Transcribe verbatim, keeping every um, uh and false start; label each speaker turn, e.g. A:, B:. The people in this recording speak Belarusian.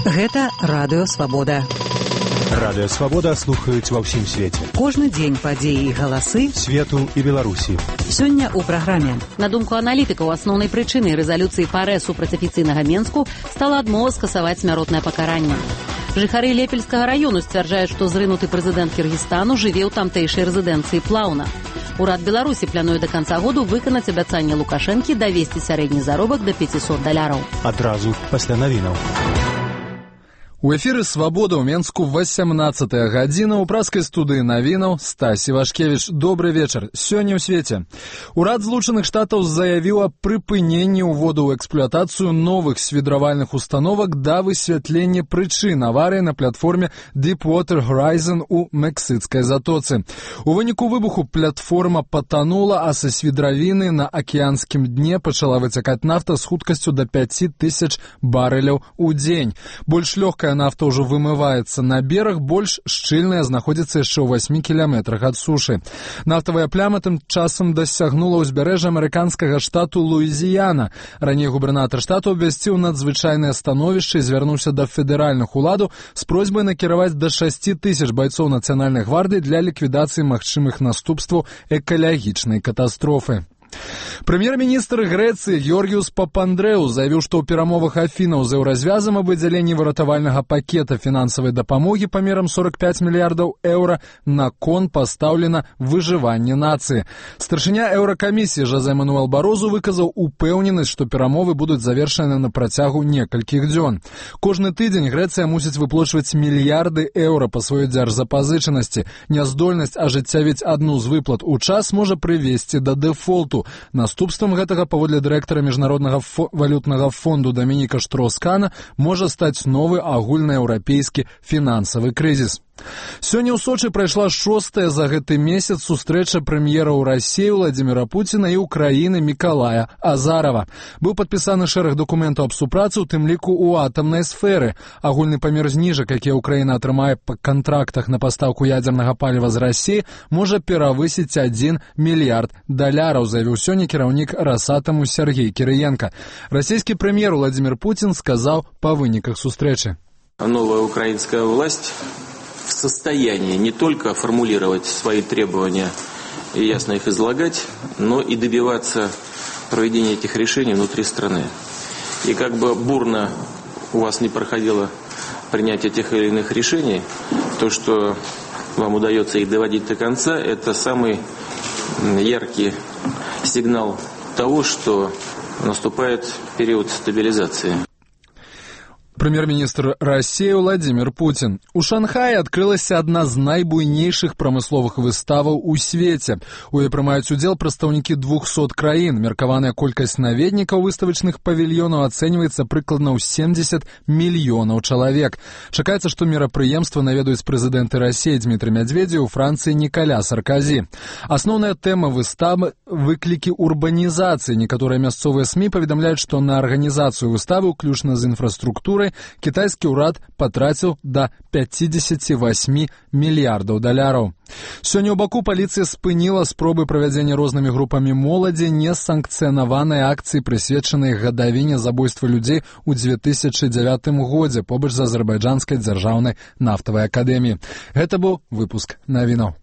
A: Гэта Радыё Свабода.
B: Радыё Свабода слухаюць ва ўсім свеце.
A: Кожны дзень падзеі і галасы
B: свету і Беларусі.
A: Сёння ў праграме.
C: На думку аналітыкаў, асноўнай прычынай рэзалюцыі ПАРЭ супраць афіцыйнага Менску стала адмова скасаваць смяротнае пакаранне. Жыхары Лепельскага раёну сцвярджаюць, што зрынуты прэзідэнт Кіргізстану жыве ў тамтэйшай рэзідэнцыі Плаўна. Урад Беларусі плануе да канца году выканаць абяцанне Лукашэнкі давесці сярэдні заробак да пяцісот даляраў.
B: Адразу пасля навінаў.
D: У эфіры «Свабода» ў Менску васямнаццатая гадзіна. У праскай студыі навінаў Стась Івашкевіч. Добры вечар. Сёння ў свеце. Урад Злучаных Штатаў заявіў о прыпыненні ўводу ў эксплуатацыю новых свідравальных установак да высвятлення прычын аварыі на платформе Deepwater Horizon у Мексыцкай затоцы. У выніку выбуху платформа патанула, а са свідравіны на акіянскім дне пачала выцякаць нафта з хуткасцю да пяці тысяч барэляў у дзень. Больш лёгкая нафта ўжо вымываецца на бераг, больш шчыльная знаходзіцца яшчэ ў васьмі кіламетрах ад сушы. Нафтавая пляма тым часам дасягнула ўзбярэжжа амерыканскага штату Луізіяна. Раней губернатар штату абвясціў надзвычайнае становішча і звярнуўся да федэральных уладаў з просьбай накіраваць да шасці тысяч байцоў нацыянальнай гвардыі для ліквідацыі магчымых наступстваў экалагічнай катастрофы. Прэм'ер-міністр Грэцыі Георгіус Папандрэу заявіў, што ў перамовах Афінаў з еўразвязам аб выдзяленні выратавальнага пакета фінансавай дапамогі памерам сорок пяць мільярдаў еўра на кон пастаўлена выжыванне нацыі. Старшыня еўракамісіі Жозе Мануэл Барозу выказаў упэўненасць, што перамовы будуць завершаны на працягу некалькіх дзён. Кожны тыдзень Грэцыя мусіць выплачваць мільярды еўра па сваёй дзяржзапазычанасці. Няздольнасць ажыццявіць адну з выплат у час можа прывесці да дэфолту. Наступствам гэтага, паводле дырэктара міжнароднага фо- валютнага фонду Дамініка Штроскана, можа стаць новы агульнаеўрапейскі фінансавы крызіс. Сёння ў Сочы прайшла шостая за гэты месяц сустрэча прэм'ераў Расіі Владзіміра Пуціна і Украіны Мікалая Азарава. Быў падпісаны шэраг дакументаў аб супрацы, у тым ліку ў атамнай сферы. Агульны памер зніжак, які Украіна атрымае па кантрактах на пастаўку ядзернага паліва з Расіі, можа перавысіць адзін мільярд даляраў, заявіў сёння кіраўнік Расатаму Сергей Кірыенка. Расійскі прэм'ер Владзімір Пуцін сказаў па выніках сустрэчы.
E: Новая украинская власть в состоянии не только формулировать свои требования и ясно их излагать, но и добиваться проведения этих решений внутри страны. И как бы бурно у вас не проходило принятие тех или иных решений, то, что вам удается их доводить до конца, это самый яркий сигнал того, что наступает период стабилизации.
D: Прэм'ер-міністр Расіі Владзімір Пуцін. У Шанхаі адкрылася адна з найбуйнейшых прамысловых выставаў у свеце. У ёй прымаюць удзел прадстаўнікі двухсот краін. Меркаваная колькасць наведнікаў выставачных павільёнаў ацэньваецца прыкладна ў семдзесят мільёнаў чалавек. Чакаецца, што мерапрыемства наведаюць прэзідэнты Расіі Дмітрый Мядзведзеў, Францыі Нікаля Сарказі. Асноўная тэма выставы – выклікі урбанізацыі. Некаторыя мясцовыя СМІ паведамляюць, што на арганізацыю выставы, уключна з інфраструктурай, кітайскі ўрад патраціў да пяцідзесяці васьмі мільярдаў даляраў. Сёння ў Баку паліцыя спыніла спробы правядзення рознымі групамі моладзі несанкцыянаванай акцыі, прысвечанай гадавіне забойства людзей у дзве тысячы дзявятым годзе побач з азербайджанскай дзяржаўнай нафтавай акадэміяй. Гэта быў выпуск навінаў.